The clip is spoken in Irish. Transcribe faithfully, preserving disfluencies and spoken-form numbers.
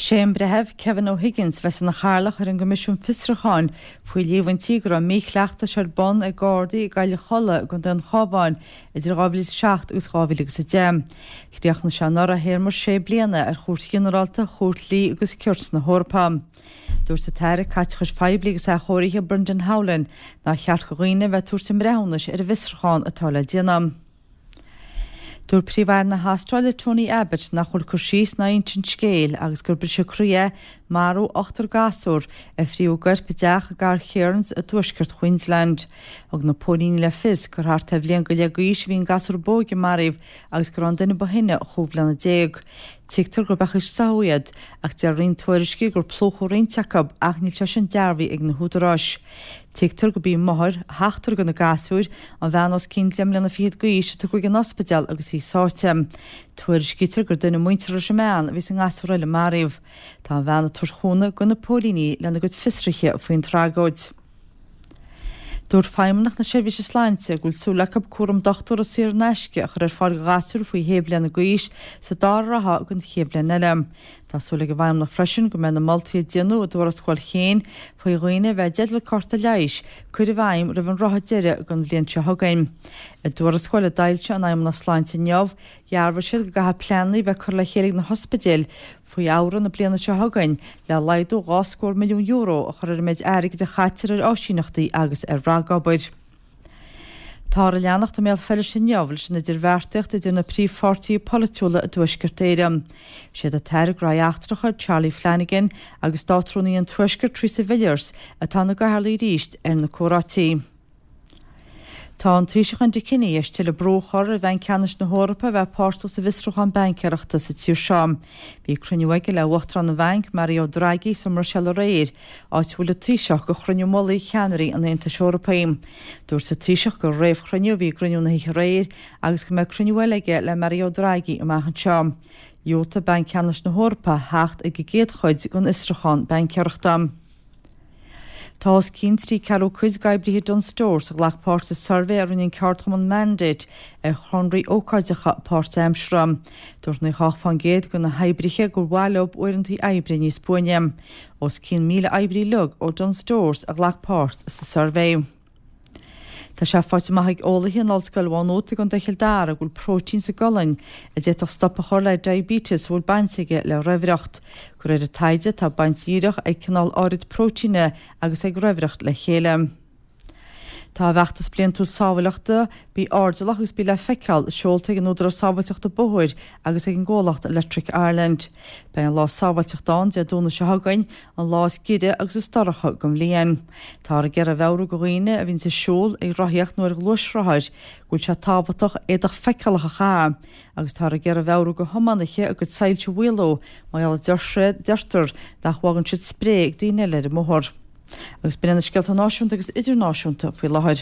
Sé an Breitheamh Kevin O'Higgins a bheas ina chathaoirleach ar an gCoimisiún Fiosrúcháin faoi líomhaintí go raibh míchleachtais ar bun ag Gardaí i gCailleach Cholla i gContae an Chabháin idir dhá mhíle is a seacht agus dhá mhíle agus a deich. Chríochnaigh sé anuraidh a théarma sé bliana ar Chúirt Ghinearálta Chúirt Dlí agus Cirt na hEorpa. Dúirt an tAire Caiteachais Phoiblí agus Athchóirithe Brendan Howlin nár cheart do dhaoine a bheith ag tabhairt a mbreithiúnais ar an bhfiosrúchán atá le déanamh. Dúirt Príomh-Aire na hAstráile Tony Abbott nach bhfuil cur síos ná insint scéil agus gur briseadh croí é marú ochtar gasúr a fríodh a gcoirp i dteach i gcathair Cairns i dtuaisceart Queensland. Thug na póilíní le fios gur thart ar bhliain go leith d'aois a bhí an gasúr ba óige maraithe agus go raibh an duine ba shine chúig bhliana déag. Tuigtear gur beacha soitheach iad, ach deir roinnt tuairiscí gur plúchadh roinnt acu ach níl sé sin dearbhaithe ag na húdaráis. Tuigtear gurb í máthair sheachtar de na gasúir, an bhean os cionn deich mbliana fichead d'aois a tugadh chuig an ospidéal agus í sáite. Tuairiscítear gur duine muinteartha leis an mbean a bhí sa ngasúr eile maraithe. Tá an bhean ag tabhairt chúnamh do na póilíní lena gcuid fiosruithe faoin tragóid. Dúirt Feidhmeannacht na Seirbhíse Sláinte go bhfuil súil acu cúram dochtúra saor in aisce a chur ar fáil do ghasúir faoi shé bliana d'aois sa dara ráithe den chéad bhliain eile. Tá súil ag an bhFeidhmeannacht freisin go mbeidh na moltaí a déanadh i dtuarascáil Kane faoi dhaoine a bheith i dteideal cárta leighis curtha i bhfeidhm roimh an ráithe deiridh den bhliain seo chugainn. I dtuarascáil a d'fhoilsigh an Fheidhmeannacht Sláinte inniu, dhearbhaigh siad go gcaithfidh pleananna a bheith curtha le chéile ag na hospidéil faoi Fheabhra na bliana seo chugainn le laghdú dhá scór milliún euro a chur ar an méid airgid a chaitear ar áisíneachtaí agus ar ragobair. Táthar ag leanacht i mBéal Feirste inniu leis an idirbheartaíocht idir na príomhpháirtithe polaitiúla i dTuaisceart Éireann. Is iad an tAire Gnóthaí Eachtracha Charlie Flanagan agus Státrúnaí an Tuaiscirt Theresa Villiers atá ina gcathaoirligh arís ar na comhráití. Tá an Taoiseach Enda Kenny tar éis tuilleadh brú a chur ar Bhanc Ceannais na hEorpa a bheith páirteach sa bhfiosrúchán baincéireachta sa tír seo. Bhí cruinniú aige le Uachtarán an Bhainc Mario Draghi sa mBruiséil aréir, áit a bhfuil an Taoiseach do chruinniú mullaigh cheannairí an Aontais Eorpaigh. Dúirt an Taoiseach gur réamhchruinniú a bhí i gcruinniú na hoíche aréir agus go mbeidh cruinniú eile aige le Mario Draghi amach anseo. Dhiúltaigh Banc Ceannais na hEorpa theacht ag an gcéad chuid den fhiosrúchán baincéireachta. Tá os cionn trí ceathrú cuid d'oibrithe Dunnes Stores a ghlac páirt sa suirbhé a rinne an ceardchumann Mandate ar chonarthaí ócáideacha páirtaimseartha. Dúirt nócha ocht faoin gcéad de na hoibrithe gur mhaith leo uaireanta oibre níos buaine. Os cionn míle oibrí uilig ó Dunnes Stores a ghlac páirt sa suirbhé. Tá sé faighte amach ag eolaithe in Ollscoil Mhá Nuad i gContae Chill Dara go bhfuil próitéin sa gcolainn a d'fhéadfadh stop a chur le diabetes a bhfuil baint aige le raimhreacht. De réir an taighde tá baint dhíreach ag cineál áirid próitéine agus ag raimhreacht le chéile. Tá a bhfeachtas bliantúil sábháilteachta bí airdeallach agus bí le feiceáil seolta ag an Údarás Sábháilteachta Bóthair agus ag an gcomhlacht Electric Ireland. Beidh an lá sábháilteachta ann Dé Domhnaigh seo chugainn, an lá is giorra agus is dorcha den bhliain. Táthar ag iarraidh a mheabhrú do dhaoine a bhíonn ag siúl, ag rothaíocht nó ar ghluaisrothair go bhfuil sé tábhachtach éadach feiceálach a chaitheamh, agus táthar ag iarraidh a mheabhrú do thiománaithe a gcuid soilse a mhaolú mar gheall deirtear nach bhfágann siad spré ag daoine eile ar an mbóthar. Agus b'in na scéalta náisiúnta agus idirnáisiúnta faoi láthair.